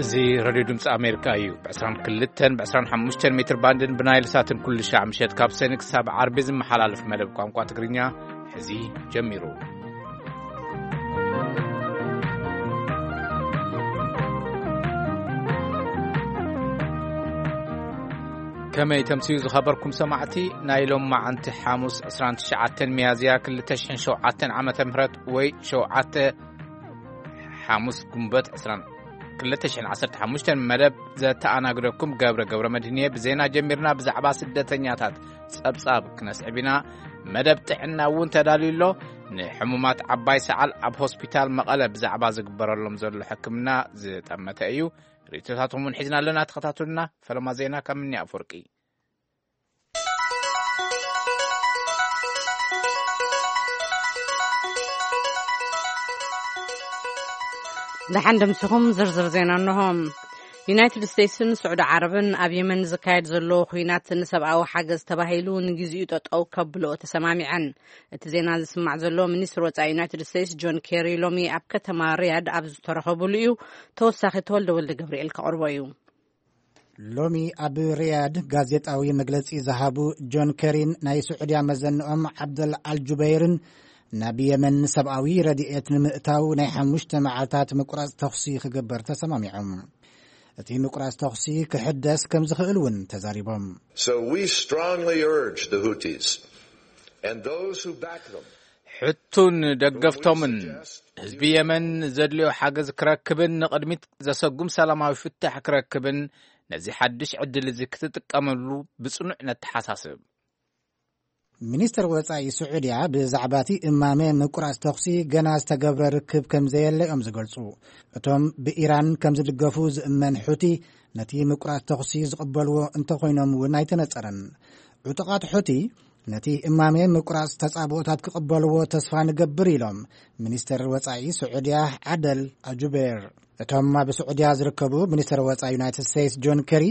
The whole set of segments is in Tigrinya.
እዚ ሬድዮ ድምፂ ኣሜሪካ እዩ። ብ22 ብ25 ሜትር ባንድን ብናይል ሳትን ኩሉ ሻዕ ምሸት ካብ ሰኒ ክሳብ ዓርቢ ዝመሓላለፍ መደብ ቋንቋ ትግርኛ ሕዚ ጀሚሩ። ከመይ ተምስዩ ዝኸበርኩም ሰማዕቲ፣ ናይ ሎም መዓንቲ ሓሙስ 29 ሚያዝያ 2007 ዓመተ ምህረት ወይ 7 ሓሙስ ጉንበት 20 2015 መደብ ዘተኣናግደኩም ገብረ ገብረ መድህንየ። ብዜና ጀሚርና ብዛዕባ ስደተኛታት ጸብጻብ ክነስዕብ ኢና። መደብ ጥዕና እውን ተዳልዩ ኣሎ። ንሕሙማት ዓባይ ሰዓል ኣብ ሆስፒታል መቐለ ብዛዕባ ዝግበረሎም ዘሎ ሕክምና ዝጠመተ እዩ። ርእይቶታትኩም እውን ሒዝና ኣለና። ተኸታተሉና። ፈለማ ዜና ካብ ምኒ ኣፈወርቂ። ደሓን ደምስኹም። ዝርዝር ዜና እንሆ። ዩናይትድ ስቴትስን ስዑዲ ዓረብን ኣብ የመን ዝካየድ ዘሎ ኹናት ንሰብኣዊ ሓገዝ ተባሂሉ ንግዚኡ ጠጠው ከብልኦ ተሰማሚዐን። እቲ ዜና ዝስማዕ ዘሎ፣ ሚኒስትር ወጻኢ ዩናይትድ ስቴትስ ጆን ኬሪ ሎሚ ኣብ ከተማ ሪያድ ኣብ ዝተረኸቡሉ እዩ። ተወሳኺ ተወልደ ወልደ ገብርኤል ከቕርቦ እዩ። ሎሚ ኣብ ሪያድ ጋዜጣዊ መግለጺ ዝሃቡ ጆን ኬሪን ናይ ስዑድያ መዘንኦም ዓብደል ኣልጁበይርን ናብ የመን ሰብኣዊ ረድኤት ንምእታው ናይ ሓሙሽተ መዓልታት ምቁራጽ ተኹሲ ክግበር ተሰማሚዖም። እቲ ምቁራጽ ተኹሲ ክሕደስ ከም ዝኽእል እውን ተዛሪቦም። So we strongly urge the Houthis and those who back them ሕቱን ደገፍቶምን ህዝቢ የመን ዘድልዮ ሓገዝ ክረክብን ንቕድሚት ዘሰጉም ሰላማዊ ፍታሕ ክረክብን ነዚ ሓድሽ ዕድል እዚ ክትጥቀመሉ ብጽኑዕ ነተሓሳስብ። ሚኒስትር ወጻኢ ስዑድያ ብዛዕባ እቲ እማመ ምቁራጽ ተኹሲ ገና ዝተገብረ ርክብ ከም ዘየለ እዮም ዝገልጹ። እቶም ብኢራን ከም ዝድገፉ ዝእመን ሑቲ ነቲ ምቁራጽ ተኹሲ ዝቕበልዎ እንተኾይኖም እውን ኣይተነጸረን። ዕጡቓት ሑቲ ነቲ እማመ ምቁራጽ ተጻብኦታት ክቕበልዎ ተስፋ ንገብር ኢሎም ሚኒስትር ወጻኢ ስዑድያ ዓደል ኣጁቤር። እቶም ኣብ ስዑድያ ዝርከቡ ሚኒስትር ወጻኢ ዩናይትድ ስቴትስ ጆን ኬሪ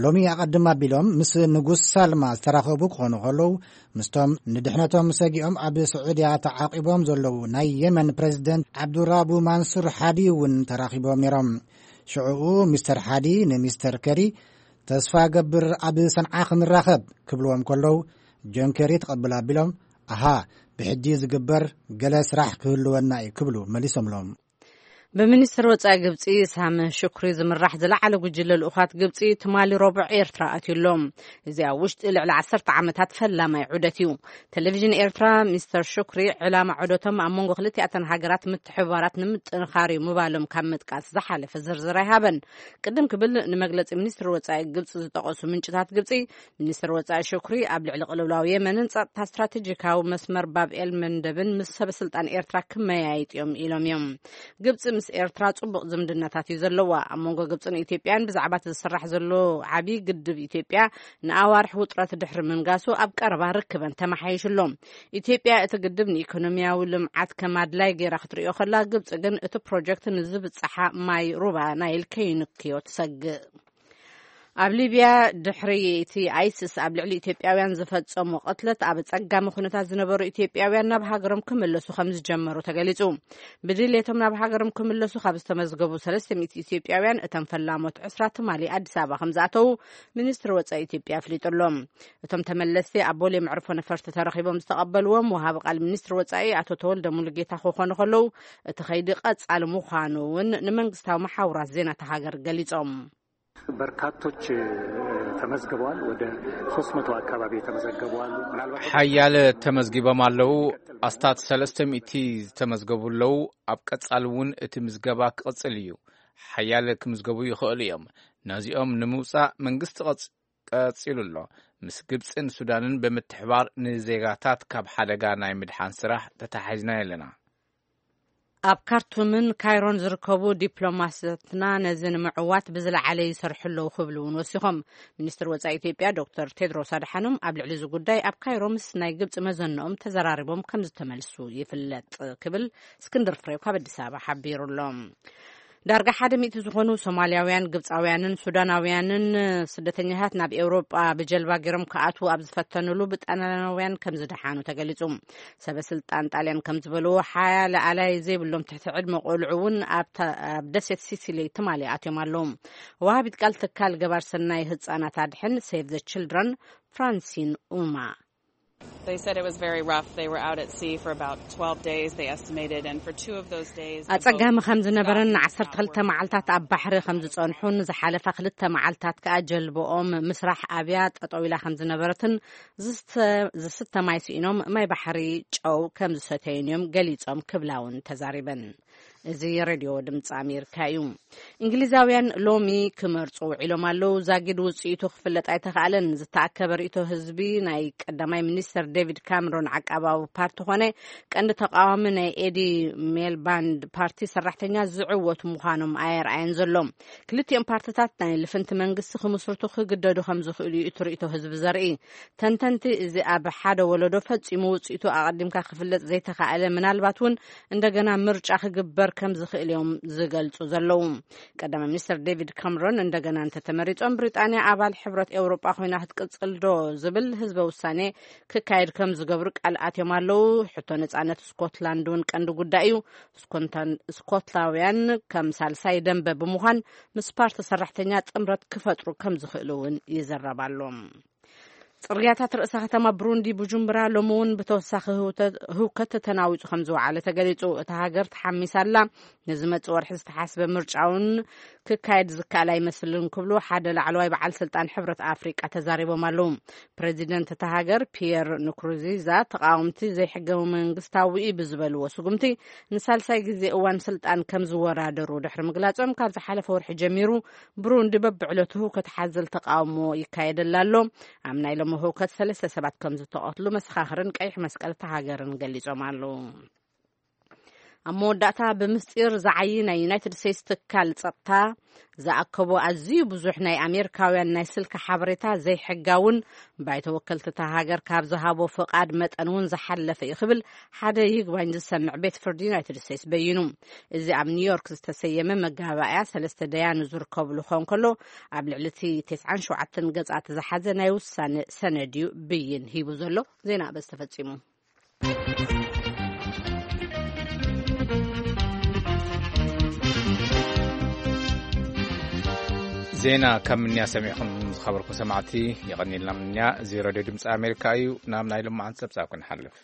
ሎሚ ኣቐድም ኣቢሎም ምስ ንጉስ ሳልማ ዝተራኸቡ ክኾኑ ከለዉ፣ ምስቶም ንድሕነቶም ሰጊኦም ኣብ ስዑድያ ተዓቂቦም ዘለዉ ናይ የመን ፕሬዚደንት ዓብዱራቡ ማንሱር ሓዲ እውን ተራኺቦም ነይሮም። ሽዑኡ ሚስተር ሓዲ ንሚስተር ኬሪ፣ "ተስፋ ገብር ኣብ ሰንዓ ክንራኸብ" ክብልዎም ከለዉ፣ ጆን ኬሪ ተቐብል ኣቢሎም፣ "ኣሃ፣ ብሕጂ ዝግበር ገለ ስራሕ ክህልወና እዩ" ክብሉ መሊሶምሎም። ብሚኒስትር ወጻኢ ግብጺ ሳም ሹክሪ ዝምራሕ ዝለዓለ ጉጅለ ልኡኻት ግብጺ ትማሊ ረቡዕ ኤርትራ ኣትዩ ኣሎ። እዚ ኣብ ውሽጢ ልዕሊ 10 ዓመታት ፈላማይ ዑደት እዩ። ቴሌቪዥን ኤርትራ፣ ሚስተር ሹክሪ ዕላማ ዑደቶም ኣብ መንጎ ክልቲኣተን ሃገራት ምትሕብባራት ንምጥንኻር እዩ ምባሎም ካብ ምጥቃስ ዝሓለፈ ዝርዝር ኣይሃበን። ቅድም ክብል ንመግለጺ ሚኒስትር ወጻኢ ግብጺ ዝጠቐሱ ምንጭታት ግብጺ፣ ሚኒስትር ወጻኢ ሹክሪ ኣብ ልዕሊ ቅልውላው የመንን ጸጥታ ስትራቴጂካዊ መስመር ባብ ኤል መንደብን ምስ ሰበ ስልጣን ኤርትራ ክመያየጥ እዮም ኢሎም እዮም። ግብጺ ምስ ኤርትራ ጽቡቕ ዝምድናታት እዩ ዘለዋ። ኣብ መንጎ ግብጽን ኢትዮጵያን ብዛዕባ እቲ ዝስራሕ ዘሎ ዓቢ ግድብ ኢትዮጵያ ንኣዋርሕ ውጥረት ድሕሪ ምንጋሱ ኣብ ቀረባ ርክበን ተመሓይሹ ኣሎ። ኢትዮጵያ እቲ ግድብ ንኢኮኖሚያዊ ልምዓት ከም ኣድላይ ገይራ ክትርእዮ ከላ፣ ግብጺ ግን እቲ ፕሮጀክት ንዝብጽሓ ማይ ሩባ ናይል ከይንክዮ ትሰግእ። ኣብ ሊብያ ድሕሪ እቲ ኣይስስ ኣብ ልዕሊ ኢትዮጵያውያን ዝፈጸሞ ቅትለት ኣብ ጸጋሚ ኩነታት ዝነበሩ ኢትዮጵያውያን ናብ ሃገሮም ክምለሱ ከም ዝጀመሩ ተገሊጹ። ብድሌቶም ናብ ሃገሮም ክምለሱ ካብ ዝተመዝገቡ 300 ኢትዮጵያውያን እቶም ፈላሞት ዕስራ ትማሊ ኣዲስ ኣበባ ከም ዝኣተዉ ሚኒስትሪ ወጻኢ ኢትዮጵያ ኣፍሊጡ ኣሎ። እቶም ተመለስቲ ኣብ ቦሌ መዕርፎ ነፈርቲ ተረኺቦም ዝተቐበልዎም ወሃቢ ቃል ሚኒስትሪ ወጻኢ ኣቶ ተወልደ ሙሉጌታ ክኾኑ ከለዉ፣ እቲ ኸይዲ ቀጻሊ ምዃኑ እውን ንመንግስታዊ መሓውራት ዜና እታ ሃገር ገሊጾም። በርካቶች ተመዝግበዋል። ወደ 300 አካባቢ የተመዘገቡ አሉ። ምናልባት ሓያለ ተመዝጊቦም ኣለዉ። ኣስታት 300 ዝተመዝገቡ ኣለዉ። ኣብ ቀጻሊ እውን እቲ ምዝገባ ክቕጽል እዩ። ሓያለ ክምዝገቡ ይኽእሉ እዮም። ነዚኦም ንምውጻእ መንግስቲ ቀጽ-፣ ቀጺሉ ኣሎ። ምስ ግብጽን ሱዳንን ብምትሕባር ንዜጋታት ካብ ሓደጋ ናይ ምድሓን ስራሕ ተተሓሒዝና ኣለና። ኣብ ካርቱምን ካይሮን ዝርከቡ ዲፕሎማስያትና ነዚ ንምዕዋት ብዝለዓለ ይሰርሑ ኣለዉ ክብሉ እውን ወሲኾም። ሚኒስትር ወጻኢ ኢትዮጵያ ዶክተር ቴድሮስ ኣድሓኖም ኣብ ልዕሊ እዚ ጉዳይ ኣብ ካይሮ ምስ ናይ ግብጺ መዘንኦም ተዘራሪቦም ከም ዝተመልሱ ይፍለጥ ክብል እስክንድር ፍሬው ካብ ኣዲስ ኣበባ ሓቢሩ ኣሎ። ዳርጋ ሓደ ሚእቲ ዝኾኑ ሶማልያውያን፣ ግብጻውያንን ሱዳናውያንን ስደተኛታት ናብ ኤውሮጳ ብጀልባ ገይሮም ክኣትዉ ኣብ ዝፈተኑሉ ብጣልያናውያን ከም ዝደሓኑ ተገሊጹ። ሰበ ስልጣን ጣልያን ከም ዝበልዎ፣ ሓያ ለኣላይ ዘይብሎም ትሕቲ ዕድመ ቆልዑ እውን ኣብታ፣ ኣብ ደሴት ሲሲሊ ትማሊ ኣትዮም ኣለዉ። ወሃቢት ቃል ትካል ገባር ሰናይ ህጻናት ኣድሕን ሴቭ ዘ ችልድረን ፍራንሲን ኡማ They said it was very rough. They were out at sea for about twelve days, they estimated, and for two of those days, they both ኣጸጋሚ ከም ዝነበረን got ንዓሰርተ ክልተ መዓልታት ኣብ ባሕሪ ከም ዝጸንሑን ዝሓለፋ ክልተ መዓልታት ከኣ ጀልባኦም ምስራሕ ኣብያ ጠጠው ኢላ ከም ዝነበረትን ዝስተ፣ ዝስተ ማይ ስኢኖም ማይ ባሕሪ ጨው ከም ዝሰተዩን እዮም ገሊጾም ክብላ እውን ተዛሪበን። እዚ ሬድዮ ድምፂ ኣሜሪካ እዩ። እንግሊዛውያን ሎሚ ክመርፁ ውዒሎም ኣለዉ። ዛጊድ ውፅኢቱ ክፍለጥ ኣይተኻእለን። ዝተኣከበ ርእይቶ ህዝቢ ናይ ቀዳማይ ሚኒስተር ዴቪድ ካምሮን ዓቃባዊ ፓርቲ ኾነ ቀንዲ ተቃዋሚ ናይ ኤዲ ሜልባንድ ፓርቲ ሰራሕተኛ ዝዕወቱ ምዃኖም ኣየርኣየን ዘሎ። ክልቲኦም ፓርትታት ናይ ልፍንቲ መንግስቲ ክምስርቱ ክግደዱ ከም ዝኽእሉ እዩ እቲ ርእይቶ ህዝቢ ዘርኢ። ተንተንቲ፣ እዚ ኣብ ሓደ ወለዶ ፈጺሙ ውጽኢቱ ኣቐዲምካ ክፍለጥ ዘይተኻእለ፣ ምናልባት እውን እንደገና ምርጫ ክግበር ከም ዝኽእል እዮም ዝገልጹ ዘለዉ። ቀዳማይ ሚኒስትር ዴቪድ ካምሮን እንደገና እንተተመሪጾም፣ ብሪጣንያ ኣባል ሕብረት ኤውሮጳ ኮይና ክትቅጽል ዶ ዝብል ህዝበ ውሳኔ ክካየድ ከም ዝገብሩ ቃል ኣትዮም ኣለዉ። ሕቶ ነጻነት ስኮትላንድ እውን ቀንዲ ጉዳይ እዩ። ስኮንታን-፣ ስኮትላውያን ከም ሳልሳይ ደንበ ብምዃን ምስ ፓርቲ ሰራሕተኛ ጥምረት ክፈጥሩ ከም ዝኽእሉ እውን ይዝረብ ኣሎ። ጽርግያታት ርእሰ ከተማ ብሩንዲ ቡጁምብራ ሎሚ እውን ብተወሳኺ ህውተ-፣ ህውከት ተናዊጹ ከም ዝወዓለ ተገሊጹ። እታ ሃገር ተሓሚሳ ኣላ። ንዝመጽእ ወርሒ ዝተሓስበ ምርጫ እውን ክካየድ ዝከኣል ኣይመስልን ክብሉ ሓደ ላዕለዋይ በዓል ስልጣን ሕብረት ኣፍሪቃ ተዛሪቦም ኣለዉ። ፕሬዚደንት እታ ሃገር ፒየር ንኩሩዚዛ ተቃወምቲ ዘይሕገ መንግስታዊ እዩ ብዝበልዎ ስጉምቲ ንሳልሳይ ግዜ እዋን ስልጣን ከም ዝወዳደሩ ድሕሪ ምግላጾም፣ ካብ ዝሓለፈ ወርሒ ጀሚሩ ብሩንዲ በብዕለቱ ህውከት ሓዘል ተቃውሞ ይካየደላ ኣሎ። ኣብ ናይ ሎሚ ህውከት ሰለስተ ሰባት ከም ዝተቐትሉ መሰኻኽርን ቀይሕ መስቀል እታ ሃገርን ገሊጾም ኣለዉ። ኣብ መወዳእታ፣ ብምስጢር ዝዓዪ ናይ ዩናይትድ ስቴትስ ትካል ጸጥታ ዝኣከቦ ኣዝዩ ብዙሕ ናይ ኣሜሪካውያን ናይ ስልኪ ሓበሬታ ዘይሕጋውን ባይቶ ወከልቲ እታ ሃገር ካብ ዝሃቦ ፍቓድ መጠን እውን ዝሓለፈ እዩ ክብል ሓደ ይግባኝ ዝሰምዕ ቤት ፍርዲ ዩናይትድ ስቴትስ በይኑ። እዚ ኣብ ኒውዮርክ ዝተሰየመ መጋባእያ ሰለስተ ደያኑ ዝርከብሉ ክኸውን ከሎ፣ ኣብ ልዕሊ እቲ ተስዓን ሸውዓተን ገጻት ዝሓዘ ናይ ውሳነ ሰነድ እዩ ብይን ሂቡ ዘሎ። ዜና በዚ ተፈጺሙ። ዜና ካብ ምንያ ሰሚዕኹም ዝኸበርኩም ሰማዕቲ የቐንየልና። ምንያ እዚ ሬድዮ ድምፂ ኣሜሪካ እዩ። ናብ ናይ ሎማዓንቲ ጸብጻብ ክንሓልፍ።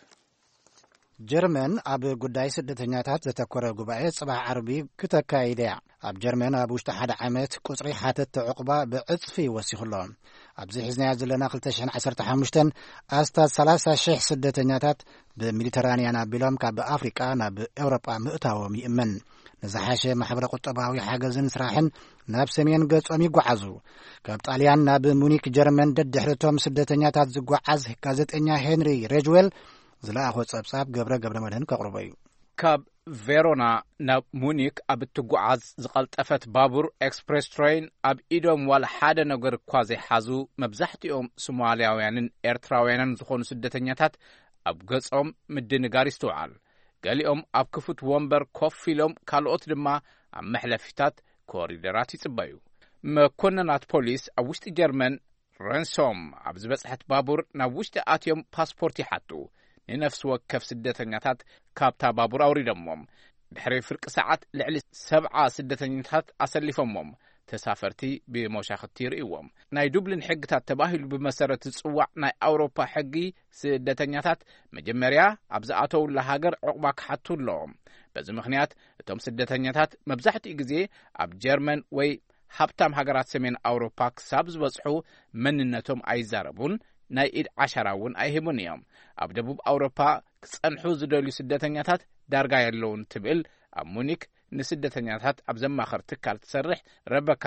ጀርመን ኣብ ጉዳይ ስደተኛታት ዘተኮረ ጉባኤ ጽባሕ ዓርቢ ክተካይድ እያ። ኣብ ጀርመን ኣብ ውሽጢ ሓደ ዓመት ቁጽሪ ሓተትቲ ዕቑባ ብዕጽፊ ወሲኹ ኣሎ። ኣብዚ ሒዝናዮ ዘለና ክልተ ሽሕን ዓሰርተ ሓሙሽተን ኣስታት ሰላሳ ሽሕ ስደተኛታት ብሜዲተራንያን ኣቢሎም ካብ ኣፍሪቃ ናብ ኤውሮጳ ምእታዎም ይእመን። ንዝሓሸ ማሕበረ ቁጠባዊ ሓገዝን ስራሕን ናብ ሰሜን ገጾም ይጓዓዙ። ካብ ጣልያን ናብ ሙኒክ ጀርመን ደድሕርቶም ስደተኛታት ዝጓዓዝ ጋዜጠኛ ሄንሪ ሬጅዌል ዝለኣኾ ጸብጻብ ገብረ ገብረ መድህን ከቕርቦ እዩ። ካብ ቬሮና ናብ ሙኒክ ኣብ እትጓዓዝ ዝቐልጠፈት ባቡር ኤክስፕሬስ ትሬን ኣብ ኢዶም ዋላ ሓደ ነገር እኳ ዘይሓዙ መብዛሕትኦም ሶማልያውያንን ኤርትራውያንን ዝኾኑ ስደተኛታት ኣብ ገጾም ምድንጋር ይስትውዓል። ገሊኦም ኣብ ክፉት ወንበር ኮፍ ኢሎም፣ ካልኦት ድማ ኣብ መሕለፊታት ኮሪደራት ይጽበዩ። መኮንናት ፖሊስ ኣብ ውሽጢ ጀርመን ረንሶም ኣብ ዝበጽሐት ባቡር ናብ ውሽጢ ኣትዮም ፓስፖርት ይሓቱ። ንነፍሲ ወከፍ ስደተኛታት ካብታ ባቡር ኣውሪዶሞም። ድሕሪ ፍርቂ ሰዓት ልዕሊ ሰብዓ ስደተኛታት ኣሰሊፎሞም። ተሳፈርቲ ብመሻኽቲ ይርእይዎም። ናይ ዱብሊን ሕግታት ተባሂሉ ብመሰረት ዝጽዋዕ ናይ ኣውሮፓ ሕጊ ስደተኛታት መጀመርያ ኣብ ዝኣተውላ ሃገር ዕቑባ ክሓቱ ኣለዎም። በዚ ምኽንያት እቶም ስደተኛታት መብዛሕትኡ ግዜ ኣብ ጀርመን ወይ ሃብታም ሃገራት ሰሜን ኣውሮፓ ክሳብ ዝበጽሑ መንነቶም ኣይዛረቡን፣ ናይ ኢድ ዓሻራ እውን ኣይህቡን እዮም። ኣብ ደቡብ ኣውሮፓ ክጸንሑ ዝደልዩ ስደተኛታት ዳርጋ የለውን ትብል ኣብ ሙኒክ ንስደተኛታት ኣብ ዘማኸር ትካል ትሰርሕ ረበካ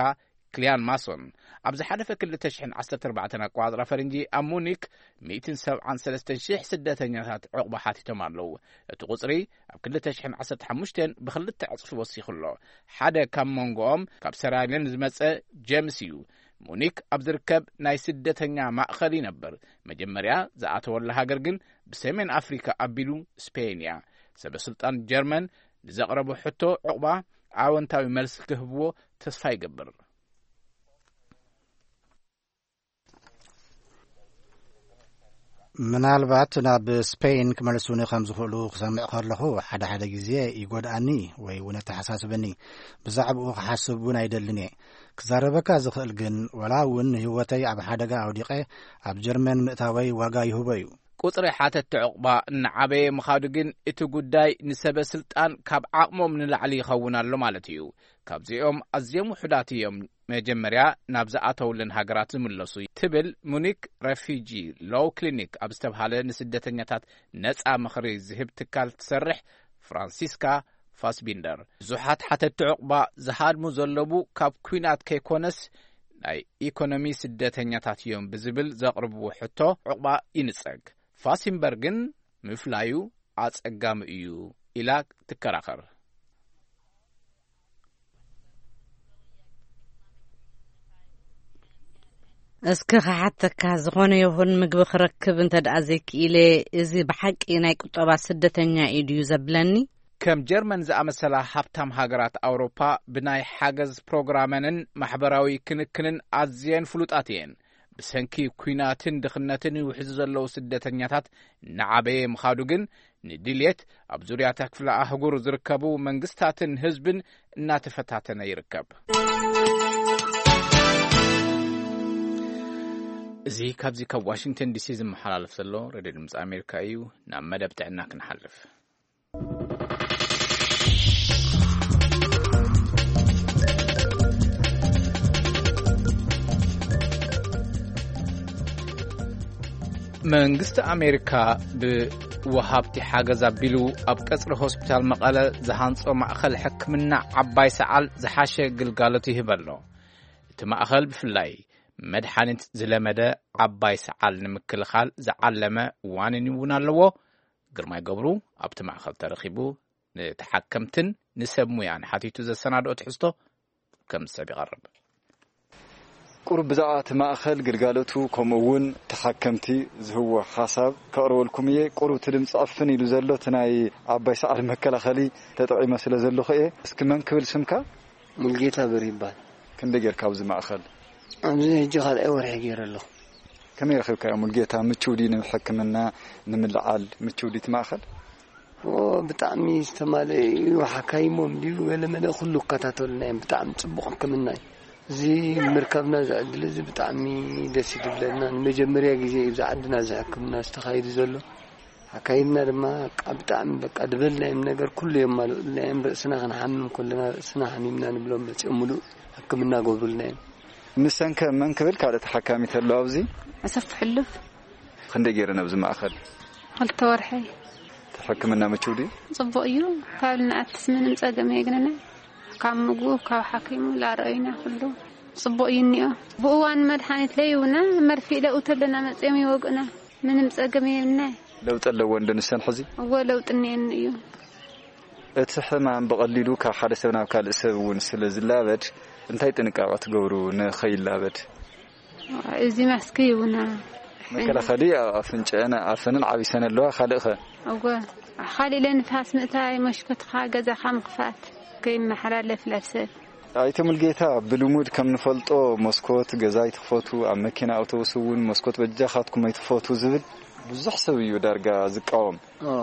ክሊያን ማሶን፣ ኣብ ዝሓለፈ ክልተ ሽሕን ዓሰርተ ኣርባዕተን ኣቆጻጽራ ፈረንጂ ኣብ ሙኒክ ሚእትን ሰብዓን ሰለስተን ሽሕ ስደተኛታት ዕቑባ ሓቲቶም ኣለዉ። እቲ ቁጽሪ ኣብ ክልተ ሽሕን ዓሰርተ ሓሙሽተን ብኽልተ ዕጽፊ ወሲኹ ኣሎ። ሓደ ካብ መንጎኦም ካብ ሰራልዮን ዝመጸ ጀምስ እዩ። ሙኒክ ኣብ ዝርከብ ናይ ስደተኛ ማእከል ይነብር። መጀመርያ ዝኣተወላ ሃገር ግን ብሰሜን ኣፍሪካ ኣቢሉ ስፔን እያ። ሰበ ስልጣን ጀርመን ንዘቕረቦ ሕቶ ዕቑባ ኣወንታዊ መልሲ ክህብዎ ተስፋ ይገብር። ምናልባት ናብ ስፔን ክመልሱኒ ከም ዝኽእሉ ክሰምዕ ከለኹ፣ ሓደ ሓደ ግዜ ይጎድኣኒ ወይ እውን የተሓሳስበኒ። ብዛዕባኡ ክሓስብ እውን ኣይደልን እየ። ክዛረበካ ዝኽእል ግን፣ ወላ እውን ንህይወተይ ኣብ ሓደጋ ኣውዲቐ ኣብ ጀርመን ምእታወይ ዋጋ ይህቦ እዩ። ቁጽሪ ሓተትቲ ዕቑባ እናዓበየ ምኻዱ ግን፣ እቲ ጉዳይ ንሰበ ስልጣን ካብ ዓቕሞም ንላዕሊ ይኸውን ኣሎ ማለት እዩ። ካብዚኦም ኣዝዮም ውሑዳት እዮም መጀመርያ ናብ ዝኣተውለን ሃገራት ዝምለሱ፣ ትብል ሙኒክ ረፊጂ ሎው ክሊኒክ ኣብ ዝተብሃለ ንስደተኛታት ነጻ ምኽሪ ዝህብ ትካል ትሰርሕ ፍራንሲስካ ፋስቢንደር። ብዙሓት ሓተትቲ ዕቑባ ዝሃድሙ ዘለዉ ካብ ኲናት ከይኮነስ፣ ናይ ኢኮኖሚ ስደተኛታት እዮም ብዝብል ዘቕርብዎ ሕቶ ዕቑባ ይንጸግ። ፋሲንበርግን ምፍላዩ ኣጸጋሚ እዩ ኢላ ትከራኸር። እስኪ ክሓተካ፣ ዝኾነ ይኹን ምግቢ ክረክብ እንተ ደኣ ዘይክኢለ፣ እዚ ብሓቂ ናይ ቁጠባ ስደተኛ እዩ ድዩ ዘብለኒ? ከም ጀርመን ዝኣመሰላ ሃብታም ሃገራት ኣውሮፓ፣ ብናይ ሓገዝ ፕሮግራመንን ማሕበራዊ ክንክንን ኣዝየን ፍሉጣት እየን። ብሰንኪ ኲናትን ድኽነትን ይውሕዙ ዘለዉ ስደተኛታት እናዓበየ ምኻዱ ግን፣ ንድልየት ኣብ ዙርያታ ክፍለ ኣህጉር ዝርከቡ መንግስታትን ህዝብን እናተፈታተነ ይርከብ። እዚ ካብዚ ካብ ዋሽንግተን ዲሲ ዝመሓላለፍ ዘሎ ሬድዮ ድምፂ ኣሜሪካ እዩ። ናብ መደብ ጥዕና ክንሓልፍ። መንግስቲ ኣሜሪካ ብወሃብቲ ሓገዝ ኣቢሉ ኣብ ቀጽሪ ሆስፒታል መቐለ ዝሃንጾ ማእኸል ሕክምና ዓባይ ሰዓል ዝሓሸ ግልጋሎት ይህብ ኣሎ። እቲ ማእኸል ብፍላይ መድሓኒት ዝለመደ ዓባይ ሰዓል ንምክልኻል ዝዓለመ ዋኒን እውን ኣለዎ። ግርማይ ገብሩ ኣብቲ ማእኸል ተረኺቡ ንተሓከምትን ንሰብ ሙያን ሓቲቱ ዘሰናድኦ ትሕዝቶ ከም ሰብ ይቐርብ። ቁሩብ ብዛዕባ እቲ ማእኸል ግልጋሎቱ፣ ከምኡ እውን ተሓከምቲ ዝህብዎ ሓሳብ ከቕርበልኩም እየ። ቁሩብ እቲ ድምፂ ዕፍን ኢሉ ዘሎ እቲ ናይ ዓባይ ሰዓል መከላኸሊ ተጠቒመ ስለ ዘለኹ እየ። እስኪ መን ክብል ስምካ? ሙልጌታ በርሂ ይበሃል። ክንደይ ጌርካ ኣብዚ ማእኸል? ኣብዚ ሕጂ ካልኣይ ወርሒ ገይረ ኣለኹ። ከመይ ረኺብካዮ ሙልጌታ? ምቹው ድዩ ንሕክምና ንምልዓል? ምቹው ድዩ እቲ ማእኸል? ኦ፣ ብጣዕሚ ዝተማልአ እዩ። ሓካይሞም ድዩ ገለ መለ ኩሉ ይከታተሉና እዮም። ብጣዕሚ ጽቡቕ ሕክምና እዩ። እዚ ምርካብና እዚ ዕድል እዚ ብጣዕሚ ደስ እዩ ዝብለና። ንመጀመርያ ግዜ እዩ ኣብዚ ዓድና እዚ ሕክምና ዝተኻይዱ ዘሎ። ኣካይድና ድማ በቃ ብጣዕሚ በቃ ዝበልናዮም ነገር ኩሉ የማልኡልና እዮም። ርእስና ክንሓምም ከለና ርእስና ሓሚምና ንብሎም መፂኦም ሙሉእ ሕክምና ገብሩልና እዮም። ንሰንከ መን ክብል ካልእ ተሓካሚ ተሎ ኣብዚ? ኣሰፍ ሕሉፍ። ክንደይ ገይረን ኣብዚ ማእኸል? ክልተ ወርሒ። እቲ ሕክምና ምችው ድዩ? ጽቡቕ እዩ። ካብ ንኣትስ ምንም ጸገም የግንና። ካብ ምግቡ፣ ካብ ሓኪሙ ላረኣዩና ኩሉ ጽቡቕ እዩ እኒኦ። ብእዋን መድሓኒት ለይውና መርፊእ ለእውተለና መጺኦም ይወግኡና። ምንም ጸገም የብልናይ። ለውጢ ኣለዎ እንዶ ንሰን ሕዚ? እወ፣ ለውጢ እኒኤኒ እዩ። እቲ ሕማም ብቐሊሉ ካብ ሓደ ሰብ ናብ ካልእ ሰብ እውን ስለ ዝላበድ፣ እንታይ ጥንቃቐ ትገብሩ ንኸይላበድ? እዚ ማስክ ይውና። መከላኸሊ ኣብ ኣፍንጭአን ኣፈንን ዓቢሰን ኣለዋ። ካልእኸ? እወ፣ ካልእ ኢለ ንፋስ ምእታይ፣ መሽኮትኻ ገዛኻ ምኽፋት፣ ከይመሓላለፍ ላብ ሰብ። ኣይተ ሙልጌታ፣ ብልሙድ ከም ንፈልጦ መስኮት ገዛ ኣይትኽፈቱ፣ ኣብ መኪና ኣውቶቡስ እውን መስኮት በጃኻትኩም ኣይትኽፈቱ ዝብል ብዙሕ ሰብ እዩ ዳርጋ ዝቃወም። ኦ።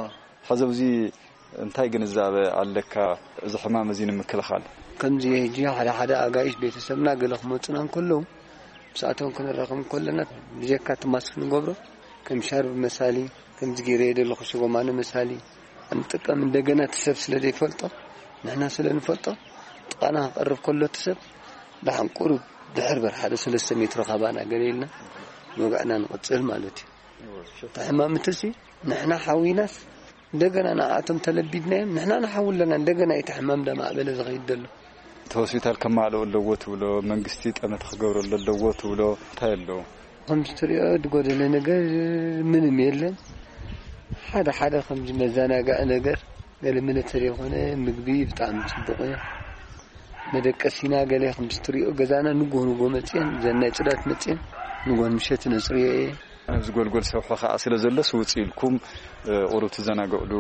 ሕዚ ኣብዚ እንታይ ግንዛበ ኣለካ እዚ ሕማም እዚ ንምክልኻል? ከምዚ ሕጂ ሓደ ሓደ ኣጋይሽ ቤተሰብና ገለ ክመጹና እንከለዉ፣ ምስኣቶም ክንራኸብ እንከለና፣ ብጀካ እቲ ማስክ ንገብሮ፣ ከም ሻርብ መሳሊ፣ ከምዚ ገይረ ዘለኹ ሽጎማነ መሳሊ፣ እንጥቀም። እንደገና እቲ ሰብ ስለ ዘይፈልጦ፣ ንሕና ስለ ንፈልጦ፣ ጥቓና ክቐርብ ከሎ እቲ ሰብ፣ ደሓን ቁሩብ ድሕር በር ሓደ ሰለስተ ሜትሮ ካባና ገለ ኢልና፣ ወግዕና ንቕጽል ማለት እዩ። እቲ ሕማም እትሲ፣ ንሕና ሓዊናስ፣ እንደገና ንኣቶም ተለቢድናዮም፣ ንሕና ንሓዊ ኣለና፣ እንደገና እቲ ሕማም እንዳማዕበለ ዝኸይድ ዘሎ። እቲ ሆስፒታል ከማልኦ ኣለዎ ትብሎ፣ መንግስቲ ጠመተ ክገብረሉ ኣለዎ ትብሎ፣ እንታይ ኣለዎ? ከምዚ ትሪኦ ዝጎደለ ነገር ምንም የለን። ሓደ ሓደ ከምዚ መዘናግዒ ነገር፣ ገለ መለ ተዘይኮነ ምግቢ ብጣዕሚ ጽቡቕ እዩ። መደቀሲና ገለ ከምዚ ትሪኦ ገዛና ንጎ ንጎ መጽየን፣ ዘን ናይ ጽዳት መጽየን፣ ንጎን ምሸት ነጽርዮ እየ። ኣብዚ ጎልጎል ሰውሒ ኸዓ ስለ ዘሎስ ውጽእ ኢልኩም፣ እ፣ ቁሩብ ትዘናግዕሉ።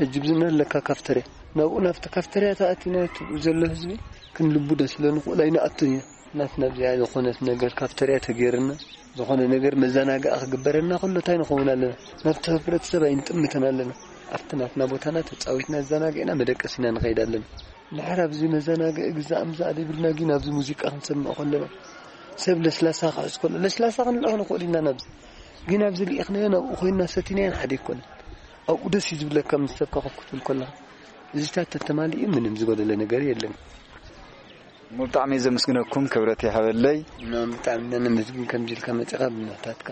ሕጂ ብዝነ ኣለካ ካፍተርያ። ናብኡ ናብቲ ካፍተርያ ተኣቲና እቲ ዘሎ ህዝቢ ክንልቡ ደስ ኢሎ ንኽእል ኣይንኣቱን ኢና። ናትና ብዚኣ ዝኾነት ነገር ካፍተርያ ተገይርና ዝኾነ ነገር መዘናግኣ ክግበረና ከሎ እንታይ ንኸውን ኣለና? ናብቲ ህብረተሰብ ኣይንጥምትን ኣለና። ኣብቲ ናትና ቦታና ተጻዊትና ኣዘናጊዕና መደቀሲና ንኸይድ ኣለና። ድሕር ኣብዚ መዘናግዒ ግዛእ ምዛእ ዘይብልና ግን ኣብዚ ሙዚቃ ክንሰምዕ ከለና ሰብ ለስላሳ ክሕዝ ከሎ ለስላሳ ክንልእኽ ንኽእል ኢና ናብዚ። ግን ኣብዚ ልኢኽናዮ ናብኡ ኮይንና ሰቲናዮ ሓደ ኣይኮነን። ኣብኡ ደስ እዩ ዝብለካ ምስ ሰብ ከኸፍ ክትብል ከለኻ። እዚታት ተተማሊኡ ምንም ዝጎደለ ነገር የለን። እሞ ብጣዕሚ እየ ዘመስግነኩም፣ ክብረት ይሃበለይ። እና ብጣዕሚ ኢና ነመስግን ከምዚ ኢልካ መጺኻ ብምሕታትካ።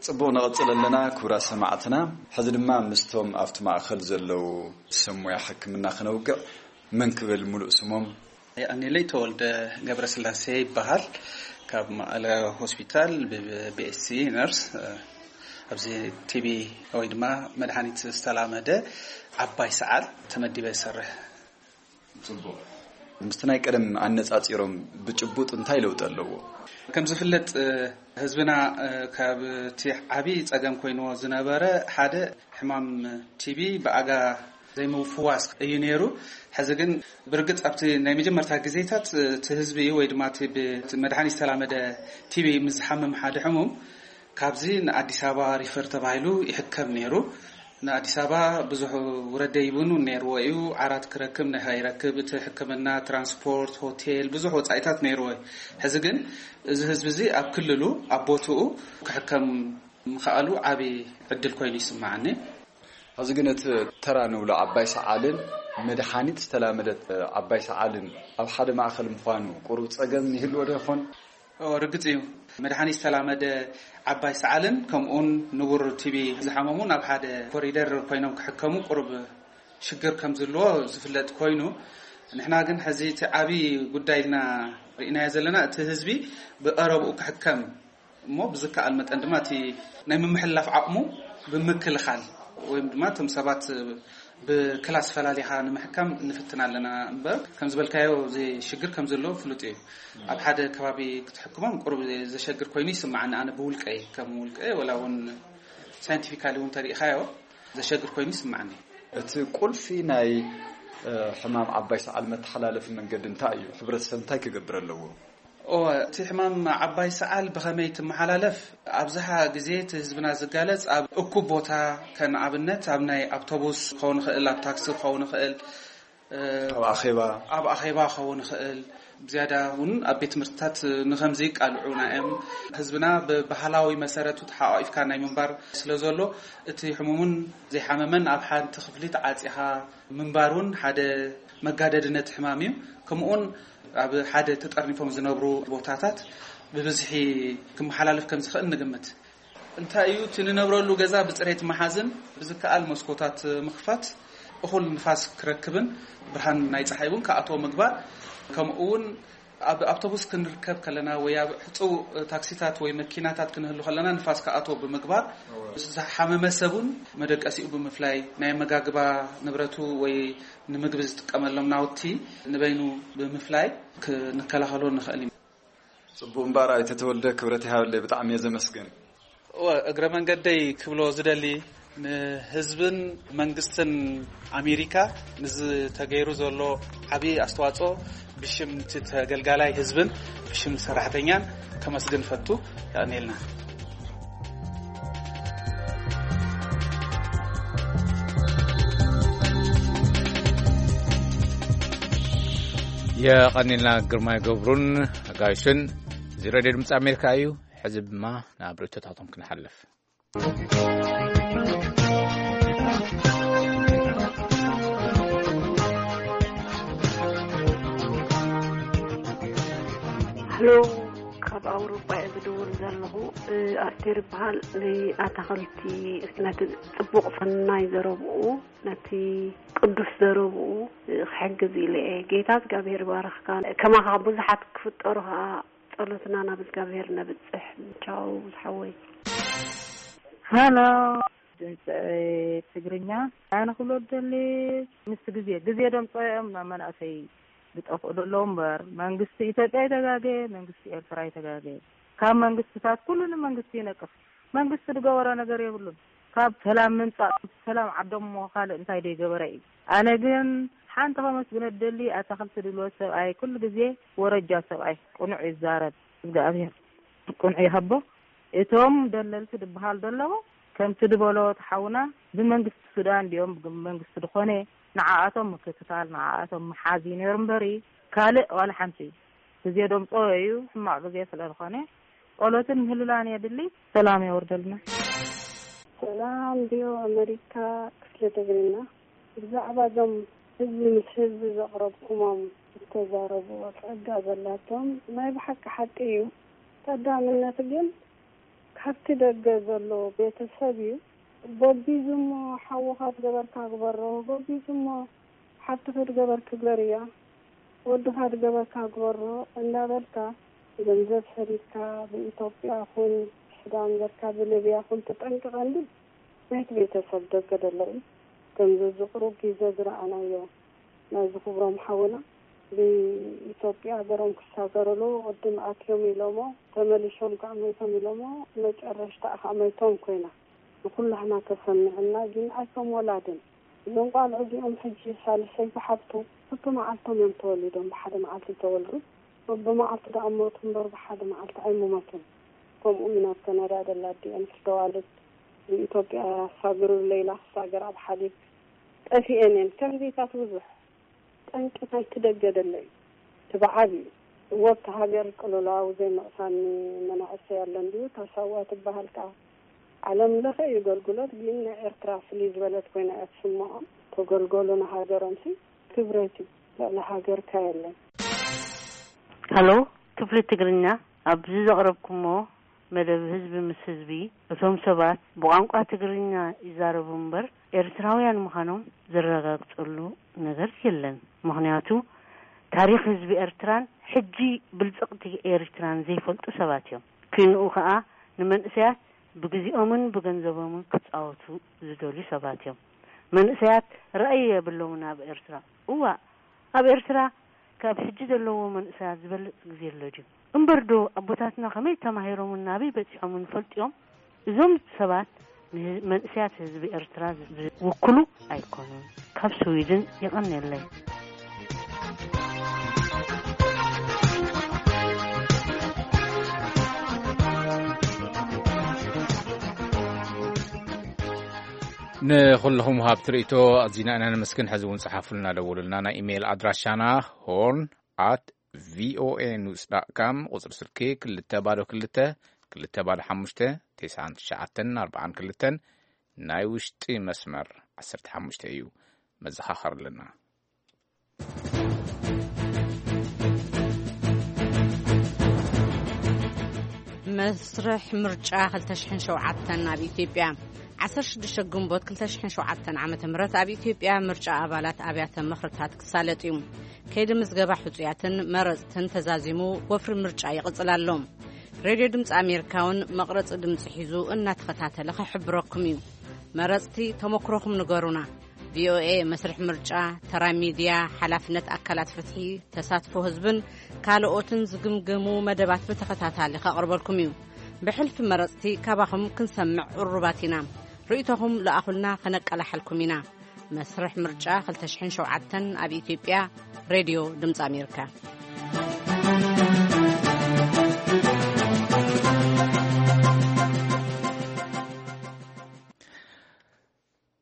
ጽቡቕ፣ ንቐጽል ኣለና ክቡራት ሰማዕትና። ሕዚ ድማ ምስቶም ኣብቲ ማእከል ዘለዉ ሰብ ሞያ ሕክምና ክነውግዕ። መን ክብል ሙሉእ ስሞም? የቐንየለይ፣ ተወልደ ገብረስላሴ ይበሃል። ካብ መቐለ ሆስፒታል ብቢኤስሲ ነርስ፣ እ፣ ኣብዚ ቲቢ ወይ ድማ መድሃኒት ዝተላመደ ዓባይ ሰዓል ተመዲበ ይሰርሕ። ጽቡቕ። ምስቲ ናይ ቀደም ኣነጻጺሮም ብጭቡጥ እንታይ ለውጢ ኣለዎ? ከም ዝፍለጥ፣ እ፣ ህዝብና፣ እ፣ ካብ እቲ ዓቢ ጸገም ኮይንዎ ዝነበረ ሓደ ሕማም ቲቢ ብኣጋ ዘይምፍዋስ እዩ ነይሩ። ሕዚ ግን ብርግጽ ኣብቲ ናይ መጀመርታ ግዜታት፣ እ፣ እቲ ህዝቢ ወይ ድማ እቲ ብ-፣ እቲ መድሃኒት ዝተላመደ ቲቢ ምስ ዝሓምም ሓደ ሕሙም ካብዚ ንኣዲስ ኣበባ ሪፈር ተባሂሉ ይሕከም ነይሩ። ንኣዲስ ኣበባ ብዙሕ ውረድ ደይብን እውን ነይርዎ እዩ። ዓራት ክረክብ ንኸይረክብ እቲ ሕክምና፣ ትራንስፖርት፣ ሆቴል፣ ብዙሕ ወጻኢታት ነይርዎ እዩ። ሕዚ ግን እዚ ህዝቢ እዚ ኣብ ክልሉ ኣብ ቦትኡ ክሕከም ምኽኣሉ ዓቢ ዕድል ኮይኑ ይስምዓኒ። ሕዚ ግን እቲ ተራ ንብሎ ዓባይ ሰዓልን መድሓኒት ዝተላመደት ዓባይ ሰዓልን ኣብ ሓደ ማእኸል ምዃኑ ቁሩብ ጸገም ይህልዎ ዶ ይኾን? እዎ፣ ርግጽ እዩ። መድሓኒት ዝተላመደ ዓባይ ሰዓልን ከምኡውን ንቡር ቲቢ ዝሓመሙ ናብ ሓደ ኮሪደር ኮይኖም ክሕከሙ ቁሩብ ሽግር ከም ዝህልዎ ዝፍለጥ ኮይኑ፣ ንሕና ግን ሕዚ እቲ ዓቢ ጉዳይ ኢልና ርኢናዮ ዘለና እቲ ህዝቢ ብቐረብኡ ክሕከም እሞ ብዝከኣል መጠን ድማ እቲ ናይ ምምሕልላፍ ዓቕሙ ብምክልኻል ወይም ድማ እቶም ሰባት ብክላስ ፈላሊኻ ንምሕካም ንፍትን ኣለና እምበር፣ ከም ዝበልካዮ እዚ ሽግር ከም ዘሎ ፍሉጥ እዩ። ኣብ ሓደ ከባቢ ክትሕክሞም ቁሩብ ዘሸግር ኮይኑ ይስምዓኒ፣ ኣነ ብውልቀይ፣ ከም ውልቀይ፣ ወላ እውን ሳይንቲፊካሊ እውን ተሪኢኻዮ ዘሸግር ኮይኑ ይስምዓኒ። እቲ ቁልፊ ናይ፣ እ፣ ሕማም ዓባይ ሰዓል መተሓላለፊ መንገዲ እንታይ እዩ? ሕብረተሰብ እንታይ ክገብር ኣለዎ? እወ፣ እቲ ሕማም ዓባይ ሰዓል ብኸመይ ትመሓላለፍ? ኣብዝሓ ግዜ እቲ ህዝብና ዝጋለጽ ኣብ እኩብ ቦታ፣ ከም ኣብነት ኣብ ናይ ኣውቶቡስ ክኸውን ይኽእል፣ ኣብ ታክሲ ክኸውን ይኽእል፣ እ፣ ኣብ ኣኼባ። ኣብ ኣኼባ ክኸውን ይኽእል። ብዝያዳ እውን ኣብ ቤት ትምህርትታት ንኸምዚ ይቃልዑና እዮም። ህዝብና ብባህላዊ መሰረቱ ተሓቋቒፍካ ናይ ምንባር ስለ ዘሎ፣ እቲ ሕሙምን ዘይሓመመን ኣብ ሓንቲ ክፍሊ ተዓጺኻ ምንባር እውን ሓደ መጋደዲ ነቲ ሕማም እዩ። ከምኡውን ኣብ ሓደ ተጠርኒፎም ዝነብሩ ቦታታት ብብዝሒ ክመሓላለፍ ከም ዝኽእል ንግምት። እንታይ እዩ እቲ ንነብረሉ ገዛ ብጽሬት ምሓዝን ብዝከኣል መስኮታት ምኽፋት፣ እኹል ንፋስ ክረክብን ብርሃን ናይ ጸሓይ እውን ክኣትዎ ምግባር፣ ከምኡ እውን ኣብ ኣውቶቡስ ክንርከብ ከለና ወይ ኣብ ሕጹው ታክሲታት ወይ መኪናታት ክንህሉ ከለና ንፋስ ክኣትዎ ብምግባር፣ ዝሓመመ ሰብ እውን መደቀሲኡ ብምፍላይ፣ ናይ ኣመጋግባ ንብረቱ ወይ ንምግቢ ዝጥቀመሎም ናውቲ ንበይኑ ብምፍላይ ክንከላኸሎ ንኽእል ኢና። ጽቡቕ እምበኣር ኣይተ ተወልደ፣ ክብረት ይሃበለይ፣ ብጣዕሚ እየ ዘመስግን። እወ፣ እግረ መንገደይ ክብሎ ዝደሊ፣ ንህዝብን መንግስትን ኣሜሪካ ንዝተገይሩ ዘሎ ዓብዪ ኣስተዋጽኦ ብሽም እቲ ተገልጋላይ ህዝብን ብሽም ሰራሕተኛን ከመስግን ፈቱ። ያኔልና። የቐኒልና ግርማይ ገብሩን ኣጋይሽን። እዚ ሬድዮ ድምፂ ኣሜሪካ እዩ። ሕዚ ድማ ናብ ርእቶታቶም ክንሓልፍ። ሄሎ፣ ካብ ኣውሮጳ እየ ዝድውል ዘለኹ። እ፣ ኣስቴር ይበሃል። ንኣታኽልቲ፣ ነቲ ጽቡቕ ሰናይ ዘረብኡ፣ ነቲ ቅዱስ ዘረብኡ፣ እ፣ ክሕግዝ ኢለ እየ። ጌታ እግዚኣብሔር ይባርኽካ። ከማኻ ብዙሓት ክፍጠሩ ኸኣ ጸሎትና ናብ እግዚኣብሔር ነብጽሕ። ቻው ዝሓወይ። ሃሎ፣ ድምፂ ትግርኛ። ኣነ ክብሎ ደሊ፣ ምስ ግዜ፣ ግዜ ደምፅኦ እዮም ናብ መናእሰይ ዝጠፍኡ ዘለዉ እምበር፣ መንግስቲ ኢትዮጵያ ይተጋገ፣ መንግስቲ ኤርትራ ይተጋገ። ካብ መንግስትታት ኩሉ ንመንግስቲ ይነቅፍ። መንግስቲ ዝገበሮ ነገር የብሉን። ካብ ሰላም ምምጻእ ሰላም ዓዶም እሞ ካልእ እንታይ ደይገበረ እዩ? ኣነ ግን ሓንቲ ከመስግነ ደሊ ኣታኽልቲ ድልወት ሰብኣይ ኩሉ ግዜ ወረጃ ሰብኣይ ቅኑዕ ይዛረብ እግዚኣብሔር ቅኑዕ ይሃቦ። እቶም ደለልቲ ድበሃል ደለዎ ከምቲ ድበሎ ተሓውና ብመንግስቲ ሱዳን ድዮም ብመንግስቲ ድኾነ ንዓኣቶም ምክትታል ንዓኣቶም ምሓዝ እዩ ነይሩ እምበሪ ካልእ ዋላ ሓንቲ ግዜ ደምጾ እዩ ሕማቕ ግዜ ስለ ዝኾነ ጸሎትን ምህልላን የድሊ። ሰላም የወርደልና። ሰላም ዲዮ ኣመሪካ ክፍለ ትግርኛ። ብዛዕባ እዞም ህዝቢ ምስ ህዝቢ ዘቕረብኩሞም ዝተዛረብዎ ጸጋ ዘላቶም ናይ ብሓቂ ሓቂ እዩ። ቀዳምነት ግን ካብቲ ደገ ዘሎ ቤተሰብ እዩ። ጎቢዙ እሞ ሓውኻ ዝገበርካ ግበሮ፣ ጎቢዙ እሞ ሓብትኺ ዝገበርኪ ግበርያ፣ ወድኻ ዝገበርካ ግበሮ እንዳበልካ ገንዘብ ሰዲድካ ብኢትዮጵያ ኹን ብሱዳን ዘርካ ብሊብያ ኹን ተጠንቅቐ እንድል ናይቲ ቤተሰብ ደገ ደሎ እዩ። ከምዚ እዚ ቁሩብ ግዜ ዝረኣናዮ ናይዚ ክብሮም ሓውና ብኢትዮጵያ ሃገሮም ክሳገርሉ ቅድም ኣትዮም ኢሎሞ ተመሊሾም ከዓ መይቶም ኢሎሞ መጨረሽታ ከዓ መይቶም ኮይና ንኩላህና ተሰሚዕና ግን ኣይቶም ወላድን እዞም ቋልዑ እዚኦም ሕጂ ሳልሰይቲ ሓብቱ በብመዓልቶም እዮም ተወሊዶም ብሓደ መዓልቲ ተወልዱ በብመዓልቲ ደኣ ሞቱ እምበር ብሓደ መዓልቲ ኣይምሞቱን። ከምኡ ኢና ኣብ ከናዳ ደላ ኣዲኤን ክስተዋልድ ብኢትዮጵያ ሳግሩ ሌላ ክሳገር ኣብ ሓሊብ ጠፊኤን እየን ከምዚታት ብዙሕ ጠንቂ ናይቲ ደገ ደሎ እዩ። እቲ ብዓብዩ እወ ኣብቲ ሃገር ቅልውላው ዘይመቕሳኒ መናእሰይ ኣሎ እንድዩ እታ ሳዋ ትበሃል ከኣ ዓለም ለኸ እዩ ገልግሎት ግን ናይ ኤርትራ ፍልይ ዝበለት ኮይና እያ ትስምዖም ተገልገሉ ንሃገሮምሲ ክብረት እዩ ልዕሊ ሃገርካ የለን። ሃሎ ክፍሊ ትግርኛ ኣብዚ ዘቕረብኩሞ መደብ ህዝቢ ምስ ህዝቢ እቶም ሰባት ብቋንቋ ትግርኛ ይዛረቡ እምበር ኤርትራውያን ምዃኖም ዘረጋግጸሉ ነገር የለን። ምኽንያቱ ታሪኽ ህዝቢ ኤርትራን ሕጂ ብልጽቕቲ ኤርትራን ዘይፈልጡ ሰባት እዮም። ክንኡ ከኣ ንመንእሰያት ብግዜኦምን ብገንዘቦምን ክጻወቱ ዝደልዩ ሰባት እዮም። መንእሰያት ራእይ የብሎምን ኣብ ኤርትራ። እዋእ ኣብ ኤርትራ ካብ ሕጂ ዘለዎ መንእሰያት ዝበልጽ ግዜ ኣሎ ድዩ? እምበር ዶ ኣቦታትና ከመይ ተማሂሮምን ናበይ በጺሖምን ፈልጥዮም? እዞም ሰባት ንመንእሰያት ህዝቢ ኤርትራ ዝውክሉ ኣይኮኑን። ካብ ስዊድን የቐንየለይ። ንኹልኹም ሃብቲ ርእቶ ኣዚና ኢና ነመስግን። ሕዚ እውን ጸሓፉልና፣ ደውሉልና። ናይ ኢሜይል ኣድራሻና ሆርን ኣት ቪኦኤ ኒውስ ዳት ካም፣ ቁጽሪ ስልኪ ክልተ ባዶ ክልተ ክልተ ባዶ ሓሙሽተ ተስዓን ትሽዓተን ኣርባዓን ክልተን። ናይ ውሽጢ መስመር ዓሰርተ ሓሙሽተ እዩ። መዘኻኸር ኣለና። መስርሕ ምርጫ ክልተ ሽሕን ሸውዓተን ኣብ ኢትዮጵያ። ዓሰርተ ሽዱሽተ ግንቦት ክልተ ሽሕን ሸውዓተን ዓመተ ምህረት ኣብ ኢትዮጵያ ምርጫ ኣባላት ኣብያተ ምኽርታት ክሳለጥ እዩ። ከይዲ ምዝገባ ሕጹያትን መረጽትን ተዛዚሙ ወፍሪ ምርጫ ይቕጽል ኣሎ። ሬድዮ ድምፂ ኣሜሪካ እውን መቕረፂ ድምፂ ሒዙ እናተኸታተለ ክሕብረኩም እዩ። መረፅቲ ተመክሮኹም ንገሩና። ቪኦኤ መስርሕ ምርጫ፣ ተራ ሚድያ፣ ሓላፍነት ኣካላት ፍትሒ፣ ተሳትፎ ህዝብን ካልኦትን ዝግምግሙ መደባት ብተኸታታሊ ከቕርበልኩም እዩ። ብሕልፊ መረፅቲ ካባኹም ክንሰምዕ ቅሩባት ኢና። ርእይቶኹም ለኣኹልና፣ ከነቀላሕልኩም ኢና። መስርሕ ምርጫ ክልተ ሽሕን ሸውዓተን ኣብ ኢትዮጵያ። ሬድዮ ድምፂ ኣሜሪካ።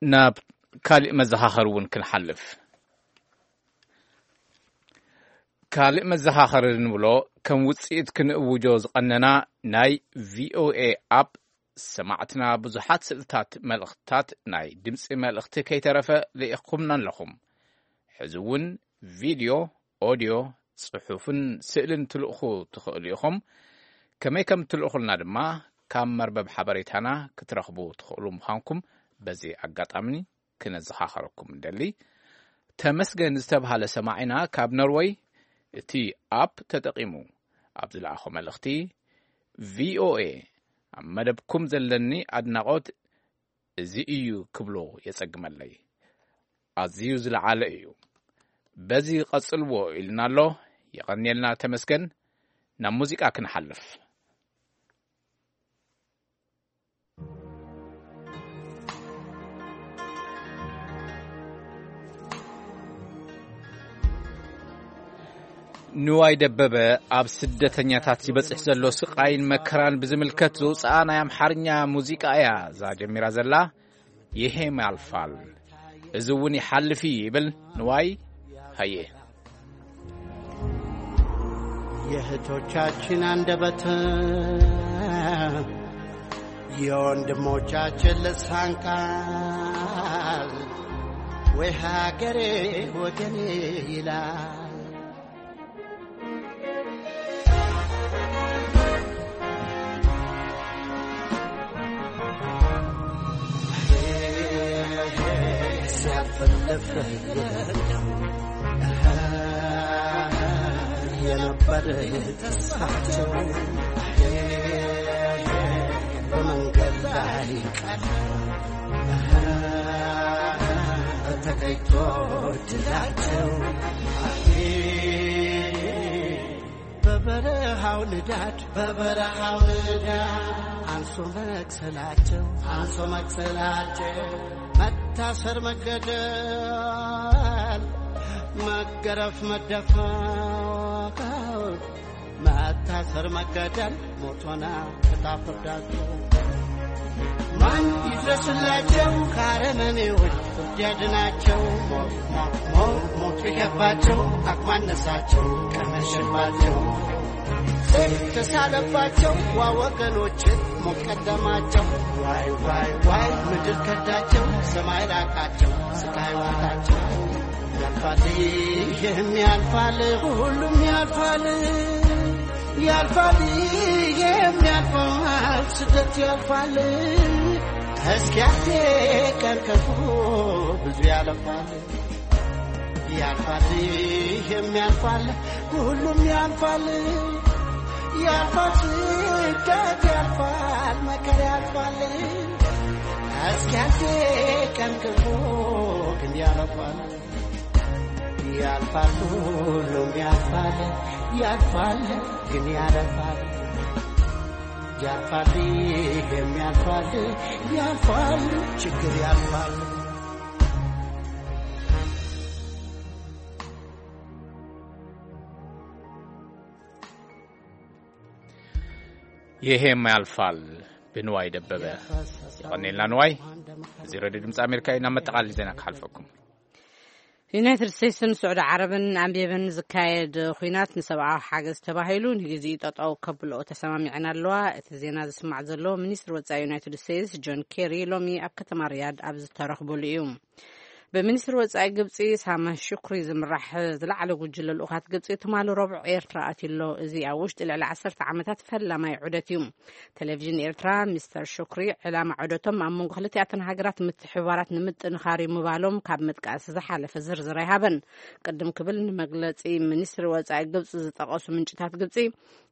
ናብ ካልእ መዘኻኸሪ እውን ክንሓልፍ። ካልእ መዘኻኸሪ ንብሎ ከም ውፅኢት ክንእውጆ ዝቐነና ናይ ቪኦኤ ኣፕ ሰማዕትና ብዙሓት ስእልታት መልእኽትታት ናይ ድምፂ መልእኽቲ ከይተረፈ ልኢኽኩምና ኣለኹም። ሕዚ እውን ቪድዮ፣ ኦድዮ፣ ፅሑፍን ስእልን ትልእኹ ትኽእሉ ኢኹም። ከመይ ከም እትልእኹልና ድማ ካብ መርበብ ሓበሬታና ክትረኽቡ ትኽእሉ ምዃንኩም በዚ ኣጋጣሚ ክነዘኻኸረኩም እንደሊ። ተመስገን ዝተብሃለ ሰማዒና ካብ ኖርወይ እቲ ኣፕ ተጠቒሙ ኣብ ዝለኣኾ መልእኽቲ ቪኦኤ ኣብ መደብኩም ዘለኒ ኣድናቖት እዚ እዩ ክብሎ የጸግመለይ። ኣዝዩ ዝለዓለ እዩ። በዚ ቀጽልዎ ኢልና ኣሎ። የቐንየልና ተመስገን። ናብ ሙዚቃ ክንሓልፍ። ንዋይ ደበበ ኣብ ስደተኛታት ይበጽሕ ዘሎ ስቓይን መከራን ብዝምልከት ዘውጽኣ ናይ ኣምሓርኛ ሙዚቃ እያ እዛ ጀሚራ ዘላ። ይሄም ያልፋል፣ እዚ እውን ይሓልፍ እዩ ይብል ንዋይ። ሃየ። የእህቶቻችን አንደበት፣ የወንድሞቻችን ልሳን ቃል፣ ወይ ሀገሬ ወገኔ ይላል። ሲያልፍልፍ የነበር ተስፋቸው፣ በመንገድ ላይ ቀረ ተገኝቶ ድላቸው። በበረሃው ንዳድ፣ በበረሃው ንዳድ፣ አንሶ መቅሰላቸው፣ አንሶ መቅሰላቸው፣ መታሰር መገደል፣ መገረፍ መደፈር፣ መታሰር መገደል፣ ሞት ሆነ ዕጣ ፍርዳቸው። ማን ይድረስላቸው ከአረመኔዎች፣ ፍርድ ያድናቸው። ሞት፣ ሞት፣ ሞት፣ ሞት ቢገባቸው፣ አቅማነሳቸው ቀመሸባቸው። ሰይፍ ተሳለባቸው፣ ዋ ወገኖች፣ ሞት ቀደማቸው። ዋይ፣ ዋይ፣ ዋይ፣ ምድር ከዳቸው፣ ሰማይ ራቃቸው፣ ስቃይ ዋጣቸው። ያልፋል፣ ይህም ያልፋል፣ ሁሉም ያልፋል። ያልፋል፣ ይህም ያልፋል፣ ስደት ያልፋል። እስኪ ያቴ ቀን ከፉ ብዙ ያለፋል። ያልፋል፣ ይህም ያልፋል፣ ሁሉም ያልፋል። ያልፋል፣ ስደት ያልፋል፣ መከራ ያልፋል። እስኪ ያቴ ቀን ከፉ ግን ያለፋል። ያልፋል፣ ሁሉም ያልፋል፣ ያልፋል፣ ግን ያለፋል። ያልፋል፣ ይሄም ያልፋል፣ ያልፋል፣ ችግር ያልፋል። ይሄም ያልፋል፣ ብንዋይ ደበበ። የቐኔልና ንዋይ። እዚ ሬድዮ ድምፂ ኣሜሪካ እዩ። ናብ መጠቓለሊ ዜና ክሓልፈኩም። ዩናይትድ ስቴትስን ስዑዲ ዓረብን ኣብ የመን ዝካየድ ኲናት ንሰብኣዊ ሓገዝ ተባሂሉ ንግዜኡ ጠጠው ከብልኦ ተሰማሚዐን ኣለዋ። እቲ ዜና ዝስማዕ ዘሎ፣ ሚኒስትሪ ወጻኢ ዩናይትድ ስቴትስ ጆን ኬሪ ሎሚ ኣብ ከተማ ሪያድ ኣብ ዝተረኽቡሉ እዩ። ብሚኒስትሪ ወጻኢ ግብጺ ሳመህ ሹክሪ ዝምራሕ ዝለዓለ ጉጅለ ልኡኻት ግብጺ ትማሊ ረቡዕ ኤርትራ ኣትዩ ኣሎ። እዚ ኣብ ውሽጢ ልዕሊ ዓሰርተ ዓመታት ፈላማይ ዑደት እዩ። ቴሌቪዥን ኤርትራ፣ ሚስተር ሹክሪ ዕላማ ዑደቶም ኣብ መንጎ ክልቲኣተን ሃገራት ምትሕብባራት ንምጥንኻር እዩ ምባሎም ካብ ምጥቃስ ዝሓለፈ ዝርዝር ኣይሃበን። ቅድም ክብል ንመግለጺ ሚኒስትሪ ወጻኢ ግብጺ ዝጠቐሱ ምንጭታት ግብጺ፣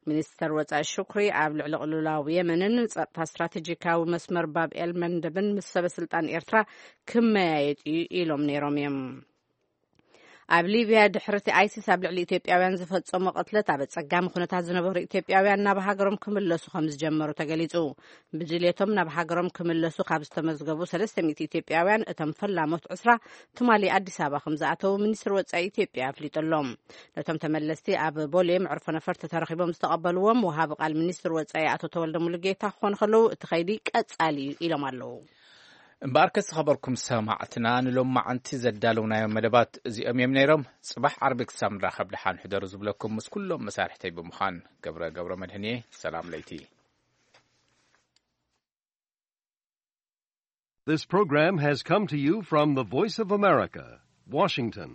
ሚኒስተር ወጻኢ ሹክሪ ኣብ ልዕሊ ቅልውላው የመንን ጸጥታ ስትራቴጂካዊ መስመር ባብ ኤል መንደብን ምስ ሰበ ስልጣን ኤርትራ ክመያየጥ እዩ ኢሎም ነይሮም እዮም። ኣብ ሊብያ ድሕርቲ ኣይሲስ ኣብ ልዕሊ ኢትዮጵያውያን ዝፈጸሞ ቅትለት ኣብ ኣጸጋሚ ኩነታት ዝነበሩ ኢትዮጵያውያን ናብ ሃገሮም ክምለሱ ከም ዝጀመሩ ተገሊጹ። ብድልየቶም ናብ ሃገሮም ክምለሱ ካብ ዝተመዝገቡ ሰለስተ ሚእቲ ኢትዮጵያውያን እቶም ፈላሞት ዕስራ ትማሊ ኣዲስ ኣበባ ከም ዝኣተዉ ሚኒስትሪ ወጻኢ ኢትዮጵያ ኣፍሊጡ ኣሎ። ነቶም ተመለስቲ ኣብ ቦሌ መዕርፎ ነፈርቲ ተረኺቦም ዝተቐበልዎም ወሃቢ ቃል ሚኒስትሪ ወጻኢ ኣቶ ተወልደ ሙሉጌታ ክኾኑ ከለዉ፣ እቲ ኸይዲ ቀጻሊ እዩ ኢሎም ኣለዉ። እምበኣርከ ዝኸበርኩም ሰማዕትና፣ ንሎማዓንቲ ዘዳለውናዮም መደባት እዚኦም እዮም ነይሮም። ጽባሕ ዓርቢ ክሳብ ንራኸብ ደሓን ሕደሩ ዝብለኩም ምስ ኩሎም መሳርሕተይ ብምዃን ገብረ ገብረ መድህን እየ። ሰላም ለይቲ። This program has come to you from the Voice of America, Washington.